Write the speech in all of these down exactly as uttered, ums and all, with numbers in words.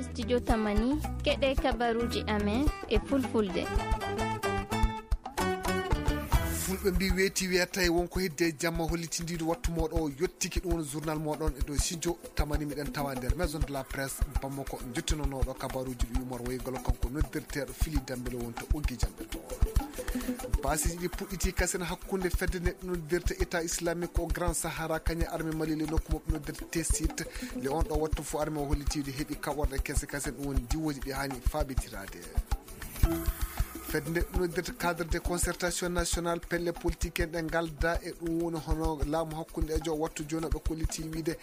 Studio Tamani, keɗe kabaruji amen e fulfulde. Fulɓe mbi weeti weetay, wonko heddi e jamma hollitindiiɗo wattu mooɗo o yottiki. Ɗum woni journal mooɗon e dow studio Tamani, miɗen tawa nder maison de la presse Bamako, jottinonooɗo kabaruji ɗi Umar Waygol, kanko noddirteeɗo Fili Dembele wonto ɓoggi jamɓe to. Baasiiji ɗi puɗɗiti kasen hakkunde fedde neɗɗo noddirte État Islamique au Grand Sahara, kañe armée Mali le nokku maɓɓe noddirte Tessit. Le on ɗo wattu fo armée o hollitiiɗo heɓi kaɓorɗe kese kasen, ɗum woni diwooji ɗi haani faabitiraade. Fedde nde noddirta cadre de concertation nationale, pelle politique en ɗe ngalda e ɗum woni hono laamu hakkundeejo wattu jooni ɓe kolliti wiide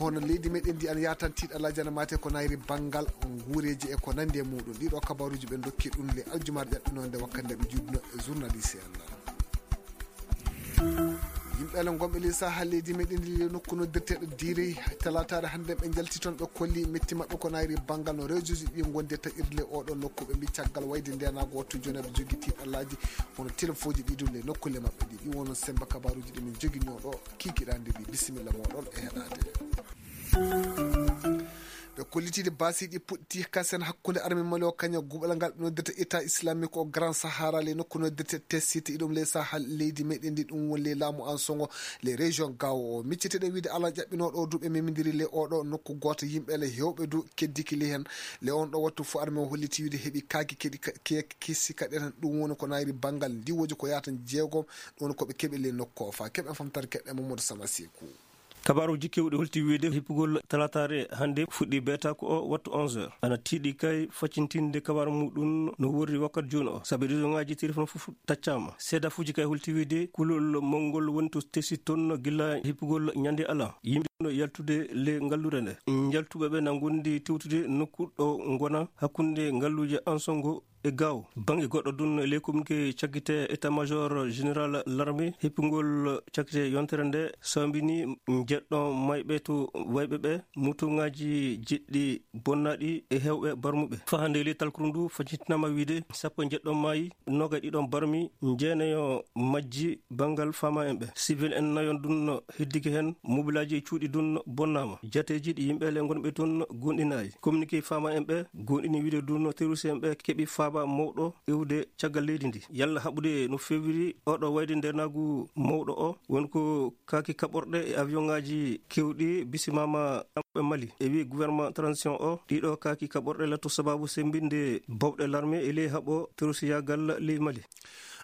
hono leydi meɗen ndi ana yatan tiiɗalaaji ana mate ko nayri banngal nguureeji e ko nandi e muɗum. Ɗiɗo kabaruji ɓe dokki ɗum le aljumar ƴaɓɓinonde wakkati nde ɓe juutno e journaliste en. Yimɓe ala gonɓe ley saha leydi meɗen ndi le nokku noddirteɗo Diiri, talataare hannde ɓe njalti toon, ɓe kolli metti maɓɓe ko nayri banngal no réseau ji ɗi gondi e taƴirde le oɗo nokku. Ɓe mbi caggal wayde ndenago wattu jooni ɓe jogi tiiɗalaaji hono téléphone ji ɗi ɗum le nokkulle maɓɓe ɗi. Ɗi wono semba kabaruji ɗi min joginoo ɗo kikiɗande ɗi. Bisimilla moɗon e heɗade. Ɓe kollitiiɗe baasiiɗi puɗɗi kasen hakkunde armée Mali o kaña guɓal ngal ɓe noddata État Islamique au Grand Sahara, le nokku noddata Tessit, iɗum le Sahel, leydi meɗen ndi, ɗum woni le laamu Ansongo, le région Gao o. Micceteɗen wiide Alan ƴaɓɓinooɗo o du ɓe memidiri le oɗo nokku gooto, yimɓe le hewɓe du keddiki le heen. Le on ɗo wattu fo armée o holliti wiide heɓi kaaki keɗi ka-, ke-, kesi kaɗen, ɗum woni ko nayri banngal ndiwoji ko yaata jeegom, ɗum woni ko ɓe keɓi le nokku o. Fa keɓen famtare keɗɗen Mamadou Sama Seku. Kabaaruuji keewɗi holti wiide hippugol talataare hannde fuɗɗi beeta ko o wattu onze heures. Ana tiiɗi kay faccintinde kabaaru muɗum no worri wakkati jooni o, sabi réseau ŋaaji téléphone fof taccaama. Seedafuuji kay holti wiide kulol mawngol woni to Tessit toon gila hippugol ñande ala. Yimɓe no yaltude le ngalluure nde. Njaltuɓe ɓe na ngondi tewtude nokku ɗo ngona hakkunde ngalluuje Ansongo e Gao. Bannge goɗɗo dun, e ley communiqué cakkite état-major général l'armée, heppingol cakkite yontere nde sambini njeɗɗo mayɓe to wayɓe ɓe, mutuŋaaji jeɗɗi bonnaaɗi e heewɓe barmuɓe. Faa hannde e ley talkuru ndu, faccintinaama wiide sappo e njeɗɗo maayi, noogay ɗiɗon barmi, jeenayo majji banngal faama en ɓe. Civil en nayon dun heddike heen, mobilaaji e cuuɗi dun bonnaama. Jateeji ɗi yimɓe le ngonɓe toon gonɗinaay. Communiqué faama en ɓe gonɗini wiide dun terroriste en ɓe keɓi faaba mawɗo iwde caggal leydi ndi. Yalla haɓude no feewiri oɗo wayde ndeenaagu mawɗo o, woni ko kaaki kaɓorɗe e avion ŋaaji keewɗi bisimaama ɓe Mali. E wi gouvernement transition o, ɗiɗo kaaki kaɓorɗe latto sababu sembinde bawɗe l'armée e ley haɓo terroriste yaagal ley Mali.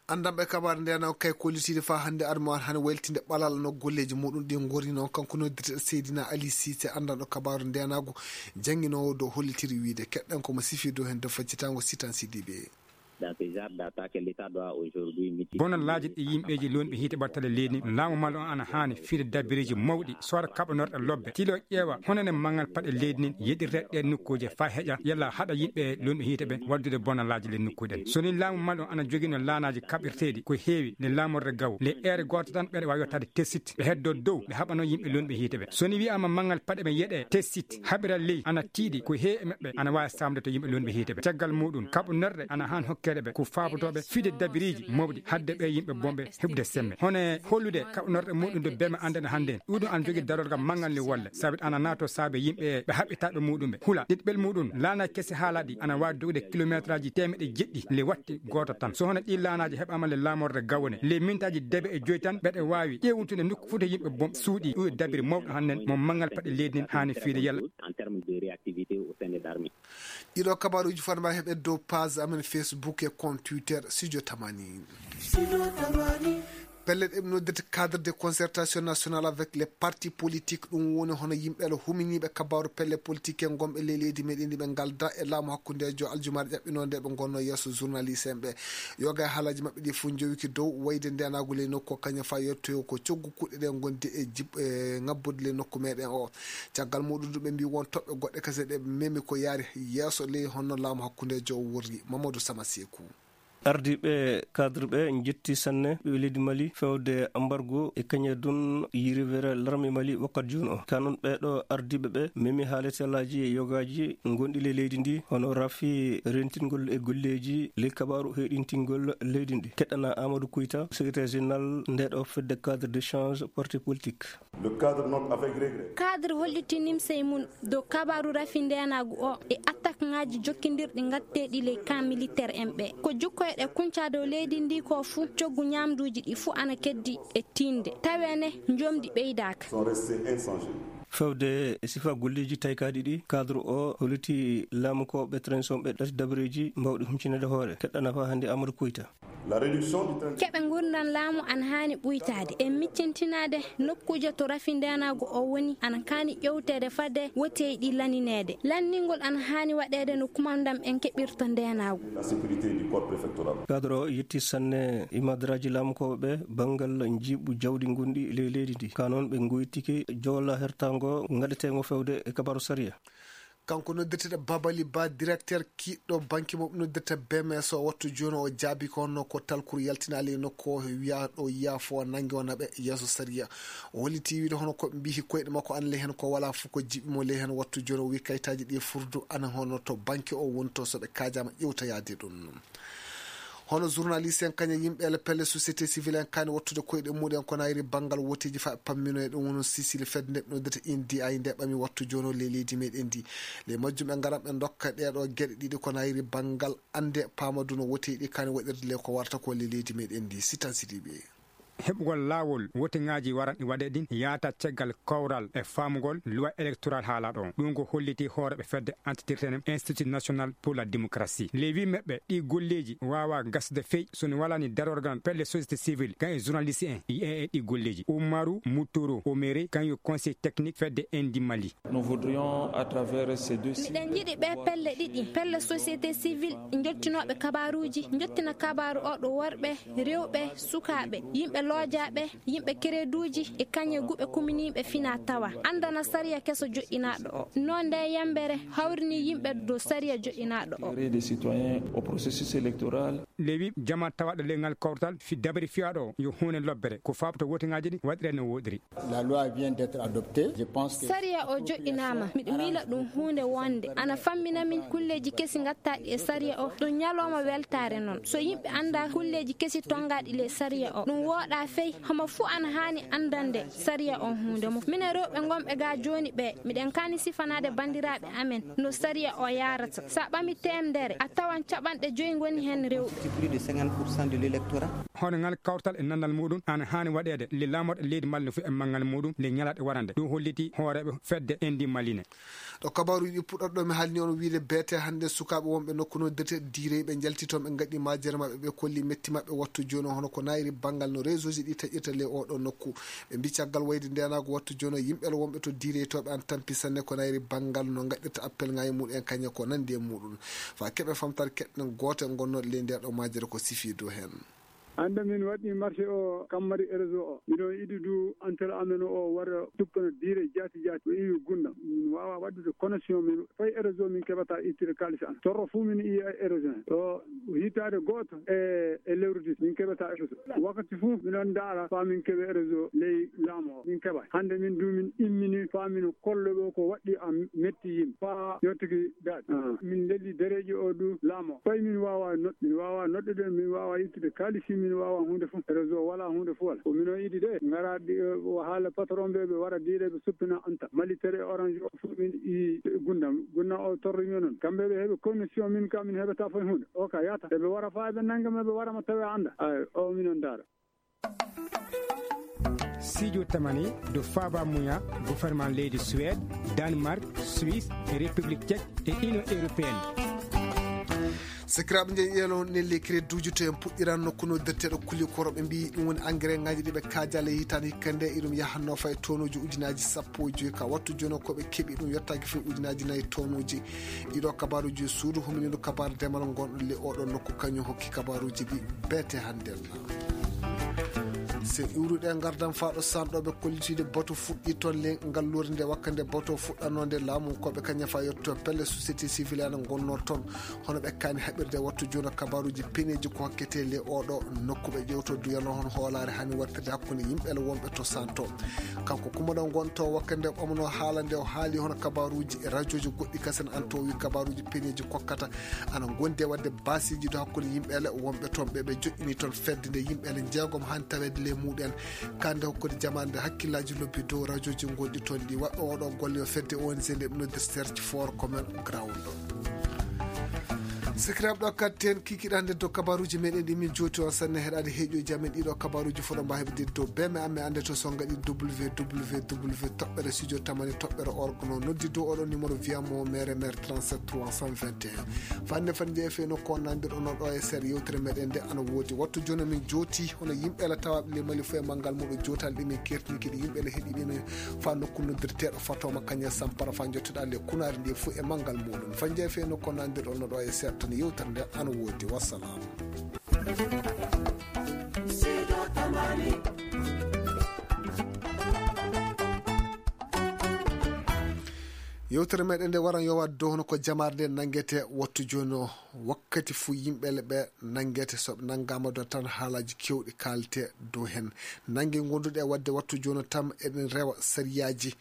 Anndanɓe kabaaru ndeenaagu kay kollitiiɗe faa hannde armée o hano waylitinde ɓalal no golleeji muɗum ɗi ngori noon. Kanko noddirteɗo Seydina Ali Cissé, anndanɗo kabaaru ndeenaagu, jannginoowo dow hollitiri wiide. Keɗɗen ko mo sifii dow heen dow faccitaango Sitan Sidibé. Dans ce genre d'attaque, l'État doit aujourd'hui mitiger. Bonallaaji ɗi yimɓeeji loonɓe hiite ɓattale leydi, laamu Mali on ana haani fiide dabireeji mawɗi, sooda kaɓanorɗe lobbe, tilo ƴeewa honene manngal paɗe leydi nin yeɗirta ɗe nokkuuje faa heƴa yalla haɗa yimɓe loonɓe hiite ɓe waddude bonallaaji le nokkuuji ɗen. So ni laamu Mali on ana jogino laanaaji kaɓirteeɗi ko heewi le laamorde Gawo, le eere gooto tan ɓeɗe waawi yottaade Tessit, ɓe heddo dow, ɓe haɓano yimɓe loonɓe hiite ɓe. So ni wi'aama manngal paɗe ɓe yeɗe Tessit, haɓira ley ana tiiɗi ko heewi e maɓɓe ana waawi saamde to yimɓe loonɓe hiite ɓe. Caggal muɗum, kaɓanorɗe ana haan hokkeede ɓe ko faabotooɓe fiide dabiriiji mawɗi hadde ɓe yimɓe bonɓe heɓude semme. Hono e hollude kaɓanorɗe muɗum dow beme anndene hannde. Ɗum ɗum ana jogii darorgal manngal ni wolle, sabi ana naato saabe yimɓe ɓe haɓɓitaaɓe muɗum ɓe hula. Ɗiɗɓel muɗum, laana kese haala ɗi ana waawi dogude kilometraaji teemeɗe jeɗɗi le watti gooto tan. So hono ɗi laanaaji heɓaama le laamorde Gawone, le mintaaji debe e joyi tan, ɓeɗe waawi ƴeewtude nokku fof to yimɓe bom suuɗi. Ɗum e dabiri mawɗo hannden mo manngal paɗe leydi nin haani fiide yalla. En termes de réactivité au sein de l'armée. Ɗiɗo kabaaruuji fotma heɓe dow page amen Facebook e compte Twitter Studio Tamani. Pelle ɗe ɓe noddirta cadre de concertation nationale avec les partis politiques, ɗum woni hono yimɓe ɗo huminiiɓe kabaaru pelle politique en gonɓe ley leydi meɗen ɗi ɓe ngalda e laamu hakkundeejo aljumaaɗe ƴaɓɓinoo nde ɓe ngonno yeeso journaliste en ɓe. Yoga e haalaaji maɓɓe ɗi fof njowiki dow wayde ndenaagu ley nokku o kañum faa yettoyo ko coggu kuɗɗe ɗe ngondi e jib-, e ŋabbude ley nokku meɗen o. Caggal muɗum ɗum ɓe mbi won toɓɓe goɗɗe kese ɗe ɓe memi ko yaari yeeso ley honno laamu hakkundeejo o worri. Mamadou Sama Sekou. Ardiiɓe cadre ɓe njetti sanne ɓe leydi Mali fewde embargo e kañe dun yirwere larme Mali wakkati jooni o. Kanon ɓeeɗo ardiiɓe ɓe memi haalatelaaji e yogaaji gonɗi ley leydi ndi, hono rafi rentingol e golleeji ley kabaaru heyɗintingol leydi ndi. Keɗɗana Amadou Kouyta, secrétaire général nde ɗo fedde cadre d'échange parti politique. Le cadre note avec regret. Cadre holliti nimsey mum dow kabaru rafi ndeenaagu o e attaque ŋaaji jokkindirɗi ngatteeɗi ley camp militaire en ɓe. Ko jukkoyɗe kunca dow leydi ndi ko fuu, coggu ñaamduuji ɗi fuu ana keddi e tiinde. Tawee ne, njomdi ɓeydaaka. Sont restés inchangés. Fewde e sifa golleeji taykaaɗi ɗi, cadre o holliti laamukooɓe transition ɓe ɗati dabareeji mbawɗi humcinede hoore. Keɗɗana faa hannde Amadou Kouyta. La réduction du train. Keɓe ngurndan laamu an haani ɓuytaade e miccintinaade nokkuuje to rafi ndeenaagu o woni, an kaani ƴewteede fade wotey ɗi lanineede. Lanningol an haani waɗeede no kumandam en keɓirta ndeenaagu. La sécurité du corps préfectoral. Cadre o yetti sanne imadraaji laamukooɓe ɓe banngal njiiɓu jawdi ngonɗi ley leydi ndi. Ka noon ɓe ngoytike jowla hertaango ngaɗeteengo fewde e kabaru sariya. Kanko noddirteɗo Babali Ba, directeur kiiɗɗo banque mo noddirta B M S o, wattu jooni o jaabi ko honno ko talkuru yaltinaali e nokku o, wiya ɗo yaafo nange o naɓe yeeso sariya. O holliti wiide hono ko mbihi koyɗe makko ana ley heen ko wala fof ko jiɓi mo ley heen, wattu jooni o wi kayitaaji ɗi furdu ana hono to banque o woni to, so ɓe kaajaama ƴewta yaade ɗum. Hono journaliste en kañum yimɓe ele pelle société civile en kaani wattude koyɗe muɗen ko nayri banngal woteeji fa pammino e ɗum wono Sicile fedde nde ɓe noddirta N D I nde ɓami wattu jooni o ley leydi meɗen ndi. Ley majjum ɓe ngaran ɓe ndokka ɗeeɗo geɗe ɗiɗi ko nayri banngal annde paamadu no woteeji ɗi kaani waɗirde ley ko warata ko ley leydi meɗen ndi. Sitan Sidiɓe. Heɓugol laawol woteŋaaji waran ɗi waɗe ɗin yaata caggal kawral e faamugol loi électoral haala ɗon. Ɗum ko holliti hooreɓe fedde antitirtenem Institut National pour la Démocratie. Ley wi meɓɓe ɗi golleeji waawa gasde fey so ni walani darorgal pelle société civile kan e journaliste en yi'e e ɗi golleeji. Umaru Mutoro Omere kan yo conseil technique fedde Endi Mali. Nous voudrions, à travers ces deux sites, miɗen yiɗi ɓe pelle ɗiɗi, pelle société civile, jottinooɓe kabaaruuji, jottina kabaaru o ɗo worɓe, rewɓe, sukaaɓe, yimɓe loojaaɓe, yimɓe kereduuji e kañe guɓe kuminiiɓe fina tawa, anndana sariya keso joɗɗinaaɗo o. No nde yambere hawrini yimɓe dow sariya joɗɗinaaɗo o. Des citoyens au processus électoral. Lewi jama tawaɗo ley ngal kawtal fi dabari fiyaaɗo o yo huunde lobbere ko faabto woteŋaaji ɗi waɗire no woɗiri. La loi vient d'être adoptée. Je pense que sariya o joɗɗinaama, miɗo miila ɗum huunde wonde ana fammina min kulleeji kesi ngattaaɗi e sariya o. Ɗum ñalooma weltaare noon. So yimɓe annda kulleeji kesi tongaaɗi ley sariya o, ɗum wooɗa fey. Homo fuu ana haani anndande sariya o huunde mum. Minen rewɓe ngonɓe ga jooni ɓe, miɗen kaani sifanaade banndiraaɓe amen no sariya o yaarata. Sa ɓami teemdere, a tawan caɓanɗe joyi ngoni heen rewɓe. Plus de cinquante pour cent de l'électorat. Hono ngal kawtal e nandal muɗum ana haani waɗeede le laamorɗe leydi Mali no fii e manngal muɗum le ñalaɗe warande. Ɗum holliti hooreeɓe fedde Endi Mali ne. Ɗo kabaaruuji ɗi puɗɗorɗo mi haalni on wiide beete hannde sukaaɓe wonɓe nokku noddirte diirey ɓe njalti toon ɓe ngaɗi majere maɓɓe ɓe kolli metti maɓɓe wattu jooni o hono ko nayri banngal no réseau ji ɗi taƴirta le oɗo nokku. Ɓe mbi caggal wayde ndenaago wattu jooni o yimɓe wonɓe to diirey to ɓe an tampi sanne ko nayri banngal no ngaɗirta appel ngaye muɗum en kañe ko nandi e muɗum. Fa keɓe famtare keɗɗen goote ngonnoɗe ley nde ɗo majere ko sifi dow heen. Hannde min waɗi marché o kammari réseau o. Miɗo yiɗi du antenne amen o wara tuppana diire jaati jaati. O iwi gunda. Min waawa waɗude connexion min fay réseau min keɓata ittude kaalis an. Torro fuu min iya réseau. Ɗo hitaade gooto e, e lewru dis min keɓata réseau. Wakkati fuu miɗon ndaara faa min keɓe réseau ley laamu o. Min keɓa. Hannde min du min immini faa min kollo ɗo ko waɗɗi am metti yimɓe. Faa yottiki daɗi. Ah. Min lelli dereeji o du laamu o. Fay min waawa noɗ-, min waawa noɗɗude, min waawa ittude kaalisi, min waawa huunde fof. Réseau wala huunde fof wala. Ko min o idi de, ngara ɗi, eh, o haala patron ɓe, ɓe wara diire, ɓe suppina anta. Malitere e orange o fof min i gundam. Gunda o torri min on. Kamɓe ɓe heɓe connexion min ka min heɓata fof huunde. O ka yata. Eɓe wara faa eɓe nanga ma ɓe wara ma tawe anda. Ay, o min on ndaara. Sijo tamani do faba muya gouvernement leydi Suède, Danemark, Suisse, République Tchèque et Union Européenne. Sakiraaɓe, njeyi yeelo nelli crédit uji to en puɗɗiran nokku no detteɗo kuli koro ɓe mbi ɗum woni engrais ngaji ɗi ɓe kaajaale hitaande hikka nde iɗum yahanno fay tonuji ujunaaji sappo e joyi ka wattu jono ko ɓe keɓi ɗum yottaaki fay ujunaaji nayi tonuji. Ɗiɗo kabaaruuji suudu huminino kabaaru demal ngonɗo le oɗo nokku kañum hokki kabaaruuji ɗi beete hannde. Se iwruɗe ngardan faa ɗo sanɗooɓe kollitiiɗe bato fuɗɗii toon le ngalluure nde wakka nde bato fuɗɗanoo nde laamu ko ɓe kaña faa yotto pelle société civile ana ngonnoo toon. Hono ɓe kaani haɓirde wattu jooni kabaruuji peneeji ko hokketee le oɗo nokku ɓe ƴewto duyano hono hoolaare hani wartirde hakkunde yimɓe le wonɓe to santo. Kanko kumoɗo ngonto wakka nde ɓamanoo haala nde o haali hono kabaruuji e rajooji goɗɗi kasen an to wi kabaruuji peneeji kokkata ana ngondi e waɗde basiiji ɗo hakkunde yimɓe ele wonɓe toon ɓe ɓe joɗɗini toon fedde nde yimɓe ele jeegom han taweede le muɗen kande hokkude jamaande hakkillaaji lobbi dow rajooji gonɗi toon ɗi waɗɗo oɗo golle yo fedde ong nde ɓe noddir search for common ground. Sikiraaɓe ɗo kadi ten kikiɗande dow kabaruuji meɗen ɗi min jooti on sanne heɗaade heeƴooji amen ɗiɗo kabaruuji foɗo mba heɓde dow beme amme annde to songa ɗi www toɓɓere studio tamani toɓɓere orgono noddi dow oɗo numéro wiyamo mere mere trente-sept trois cent vingt et un. Fanne fan jeefe no konnandir ono ɗo e ser yewtere meɗen nde ana woodi wattu jono min jooti hono yimɓe la tawaɓe le mali fo e manngal muɗo jotal ɗi min kertini kiɗi yimɓe la heɗi ɗi min fa nokku noddirteɗo fatoma kañe sampara fa jottoɗa le kunari ndi fo e manngal muɗum fan jeefe no konnandir ono ɗo e ser tan yewtere nde ana woodi wassalam. Yewtere meɗen nde waran yo waɗ dow hono ko jamaare nde nanngete wattu jooni o wakkati fuu yimɓe le ɓe nanngete so ɓe nanngaama ɗo tan haalaaji keewɗi kaalte dow heen nannge ngonduɗe waɗde wattu jooni o tan eɗen rewa sariyaaji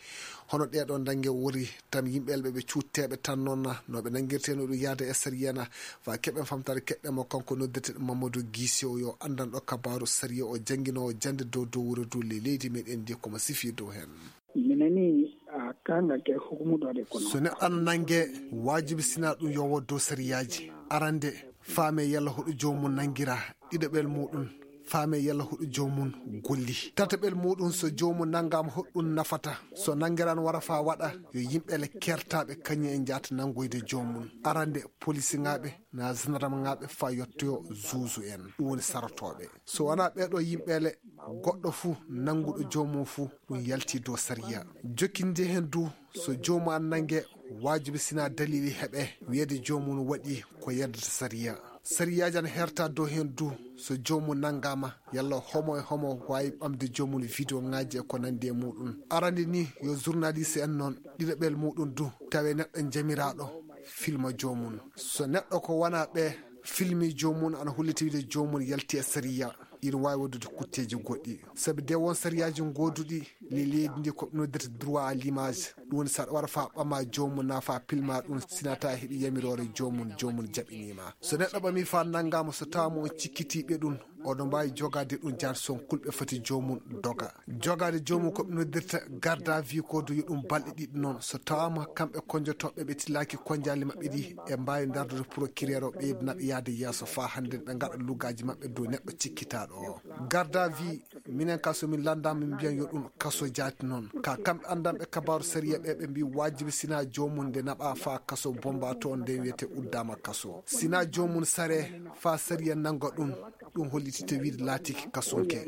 hono ɗeeɗo nannge wori tan yimɓe le ɓe ɓe cuutteeɓe tan noon no ɓe nanngirtee no ɗum yahde e sariyana fa keɓen famtaade keɗɗe mo kanko noddirte ɗum mamadou guise o yo anndanɗo kabaaru sariya o jannginoowo jannde dow dow wuro dow ley leydi meɗen ndi komo sifi dow heen. Mi nani a kangal ke hukumuɗo de kono. So neɗɗo ana nannge waajibi sina ɗum yo woddo sariyaaji arande faame yalla hoɗo joomum nanngira ɗiɗaɓel muɗum faame yalla hoɗo joomum golli tataɓel muɗum so joomum nanngaama hoɗɗum nafata so nanngiraan wara fa waɗa yo yimɓe le kertaaɓe kañum e njaata nanngoyde joomum arande polisiŋaaɓe na gendarmeŋaaɓe fa yottoyo zuuzu en ɗum woni sarotooɓe so wonaa ɓeeɗo yimɓe le goɗɗo fuu nannguɗo joomum fuu ɗum yalti dow sariya jokkinde heen du so joomum an nannge waajibi sina dalili heɓe wiyeede joomum waɗi ko yeddata sariya sariyaaji ana herta dow heen du so joomum nanngaama yalla homo e homo waawi ɓamde joomum vidéo ŋaaji e ko nanndi e muɗum arande ni yo journaliste en noon ɗiɗaɓel muɗum du tawe neɗɗo jamiraaɗo filma joomum so neɗɗo ko wona ɓe filmi joomum ana holliti wiide joomum yalti e sariya ina waawi waɗdude kutteeji goɗɗi sabi de won sariyaaji gooduɗi le leydi ndi ko noddirta droit à l'image ɗum woni saɗa wara fa ɓama joomum na fa pilma ɗum sinata heɓi yamiroore joomum joomum jaɓinima so neɗɗo ɓami fa nanngama so tawama on cikkitiɓe ɗum oɗo mbawi jogade ɗum jan son kulɓe foti joomum doga jogade joomum ko ɓe noddirta garde à vue ko duyo ɗum balɗe ɗiɗi noon so tawama kamɓe konjotoɓe ɓe tillaki konjali maɓɓe ɗi e mbawi dardude procureur o ɓeydunaɓe yaade yeeso fa hande ɓe gaɗa lugaji maɓɓe dow neɗɗo cikkitaɗo o garde à vue minen ka somin landama min mbiyan yo ɗum kaso jaati noon ka kamɓe andanɓe kabaru sariya ɓe ɓe mbi wajibi sina jomum nde naɓa fa kaso bomba to nden wiyete uddama kaso sina jomum sare fa sariya nanga ɗum ɗum holliti to wiide laatiki kasonke